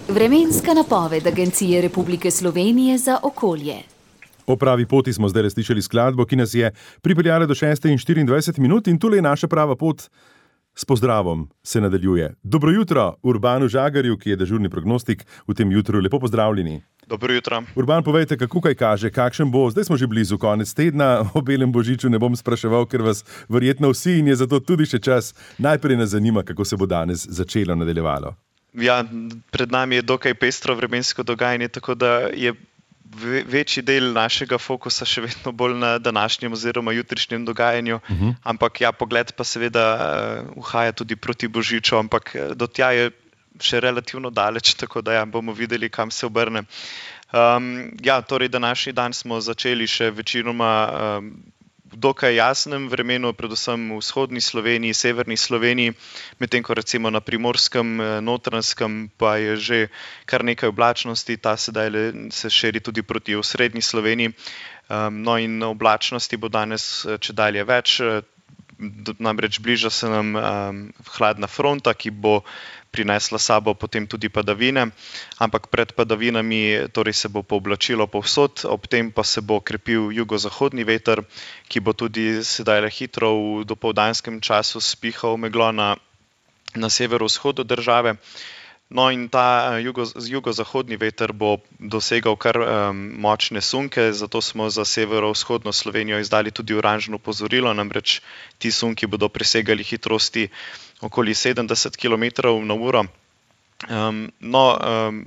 Vremenska napoved Agencije Republike Slovenije za okolje. O pravi poti smo zdaj slišali skladbo, ki nas je pripeljala do 6:24 in tule je naša prava pot. S pozdravom se nadaljuje. Dobro jutro Urbanu Žagarju, ki je dežurni prognostik v tem jutru. Lepo pozdravljeni. Dobro jutro. Urban, povejte, kako kaj kaže, kakšen bo, zdaj smo že blizu konec tedna, o belem božiču ne bom spraševal, ker vas verjetno vsi in je zato tudi še čas. Najprej nas zanima, kako se bo danes začelo, nadaljevalo. Ja, pred nami je dokaj pestro vremensko dogajanje, tako da je večji del našega fokusa še vedno bolj na današnjem oziroma jutrišnjem dogajanju, ampak ja, pogled pa seveda uhaja tudi proti božiču, ampak do tja je še relativno daleč, tako da ja, bomo videli, kam se obrne. Ja, torej današnji dan smo začeli še večinoma v dokaj jasnem vremenu, predvsem v vzhodni Sloveniji, severni Sloveniji, medtem ko recimo na Primorskem, Notranjskem pa je že kar nekaj oblačnosti, ta sedaj se širi tudi proti osrednji Sloveniji. No in oblačnosti bo danes čedalje več, namreč bliža se nam hladna fronta, ki bo prinesla sabo potem tudi padavine, ampak pred padavinami torej se bo pooblačilo povsod, ob tem pa se bo krepil jugozahodni veter, ki bo tudi sedaj hitro v dopoldanskem času spihal meglo na severovzhodu države. No in ta jugozahodni veter bo dosegal kar močne sunke, zato smo za severovzhodno Slovenijo izdali tudi oranžno opozorilo, namreč ti sunki bodo presegali hitrosti okoli 70 km/h. No,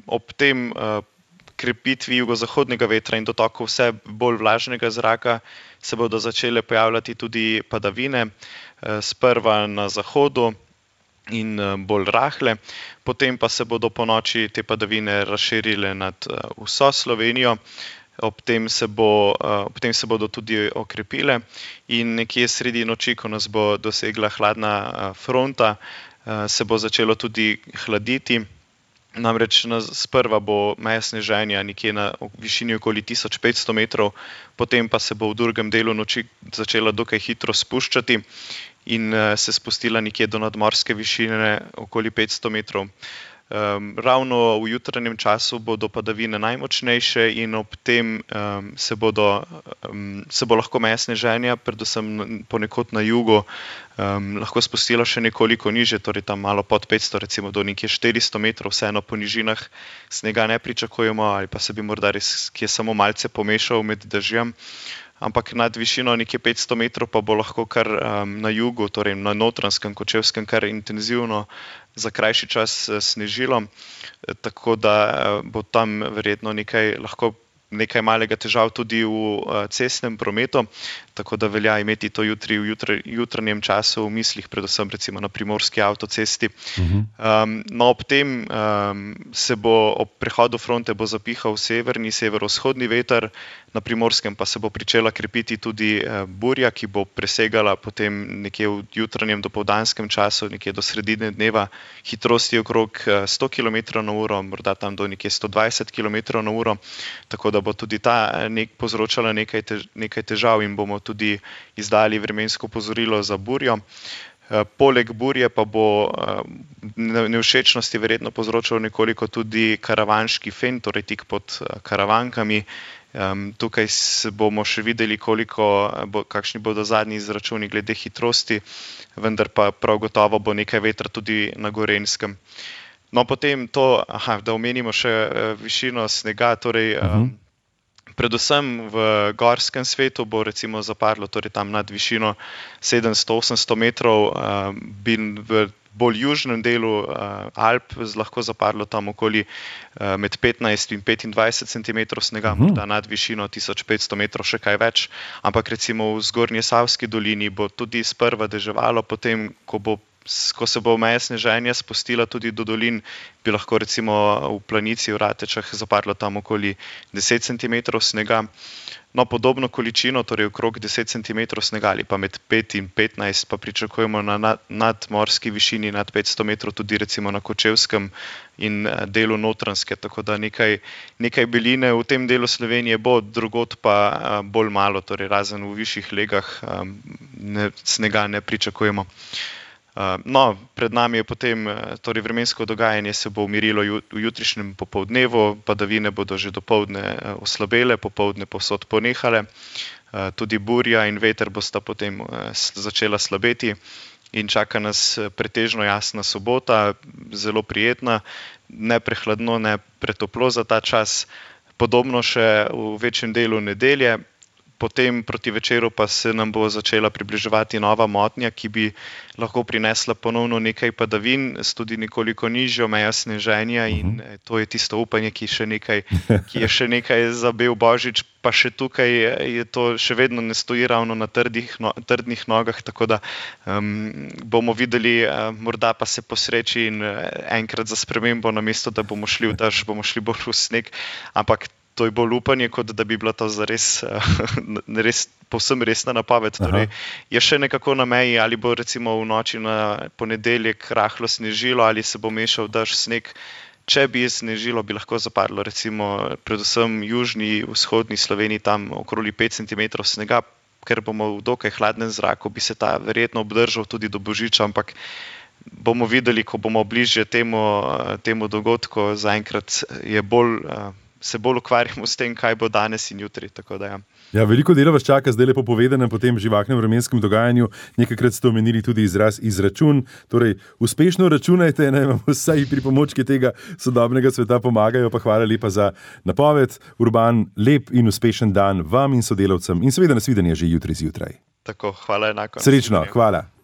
ob tem krepitvi jugozahodnega vetra in dotoku vse bolj vlažnega zraka se bodo začele pojavljati tudi padavine, sprva na zahodu in bolj rahle, potem pa se bodo ponoči te padavine razširile nad vso Slovenijo, ob tem se bodo tudi okrepile in nekje sredi noči, ko nas bo dosegla hladna fronta, se bo začelo tudi hladiti. Namreč sprva bo meja sneženja nekje na višini okoli 1500 metrov, potem pa se bo v drugem delu noči začela dokaj hitro spuščati in se spustila nekje do nadmorske višine okoli 500 metrov. Ravno v jutranjem času bodo padavine najmočnejše in ob tem se bo lahko meja sneženja, predvsem ponekod na jugu, lahko spustila še nekoliko niže, torej tam malo pod 500, recimo do nekje 400 metrov, vseeno po nižinah snega ne pričakujemo ali pa se bi morda res kje samo malce pomešal med dežjem. Ampak nad višino nekje 500 metrov pa bo lahko kar na jugu, torej na Notranjskem, Kočevskem, kar intenzivno za krajši čas snežilo, tako da bo tam verjetno lahko nekaj malega težav tudi v cestnem prometu, tako da velja imeti to jutri v jutranjem času v mislih, predvsem recimo na primorski avtocesti. No, ob tem se bo ob prehodu fronte bo zapihal severovzhodni veter, na Primorskem pa se bo pričela krepiti tudi burja, ki bo presegala potem nekje v jutranjem dopoldanskem času, nekje do sredine dneva, hitrosti okrog 100 km/h, morda tam do nekje 120 km/h, tako da bo tudi ta povzročala nekaj težav in bomo tudi izdali vremensko opozorilo za burjo. Poleg burje pa bo nevšečnosti verjetno povzročal nekoliko tudi karavanški fen, torej tik pod Karavankami. Tukaj bomo še videli, kakšni bodo zadnji izračuni glede hitrosti, vendar pa prav gotovo bo nekaj vetra tudi na Gorenjskem. No, potem da omenimo še višino snega, torej predvsem v gorskem svetu bo recimo zapadlo, torej tam nad višino 700-800 metrov, bi v bolj južnem delu Alp lahko zapadlo tam okoli med 15 in 25 cm snega, morda nad višino 1500 metrov še kaj več, ampak recimo v Zgornjesavski dolini bo tudi sprva deževalo, potem ko se bo meja sneženja spustila tudi do dolin, bi lahko recimo v Planici v Ratečah zapadlo tam okoli 10 cm snega. No, podobno količino, torej okrog 10 cm snega ali pa med 5 in 15 pa pričakujemo na nadmorski višini nad 500 metrov tudi recimo na Kočevskem in delu Notranjske, tako da nekaj beline v tem delu Slovenije bo, drugod pa bolj malo, torej razen v višjih legah snega ne pričakujemo. No, pred nami je potem torej vremensko dogajanje, se bo umirilo v jutrišnjem popoldnevu, padavine bodo že dopoldne oslabele, popoldne povsod ponehale, tudi burja in veter bosta potem začela slabeti in čaka nas pretežno jasna sobota, zelo prijetna, ne prehladno, ne pretoplo za ta čas, podobno še v večjem delu nedelje. Potem proti večeru pa se nam bo začela približevati nova motnja, ki bi lahko prinesla ponovno nekaj padavin s tudi nekoliko nižjo mejo sneženja in to je tisto upanje, ki je še nekaj za bel božič, pa še tukaj je to še vedno ne stoji ravno na trdnih nogah, tako da bomo videli, morda pa se posreči in enkrat za spremembo, namesto da bomo šli v dež, bomo šli bolj v sneg, ampak to je bolj upanje, kot da bi bila to zares povsem resna napoved. Torej, je še nekako na meji, ali bo recimo v noči na ponedeljek rahlo snežilo, ali se bo mešal dež, sneg. Če bi snežilo, bi lahko zapadlo recimo predvsem južni, vzhodni Sloveniji, tam okoli 5 cm snega, ker bomo v dokaj hladnem zraku, bi se ta verjetno obdržal tudi do božiča, ampak bomo videli, ko bomo bližje temu dogodku. Zaenkrat je se bolj ukvarjamo s tem, kaj bo danes in jutri. Tako da, ja. Ja, veliko dela vas čaka zdaj lepo povedanem po tem živahnem vremenskem dogajanju. Nekajkrat ste omenili tudi izraz izračun. Torej, uspešno računajte, naj vam vsaj pripomočki tega sodobnega sveta pomagajo. Pa hvala lepa za napoved. Urban, lep in uspešen dan vam in sodelavcem in seveda nasvidenje že jutri zjutraj. Tako, hvala enako. Srečno, hvala.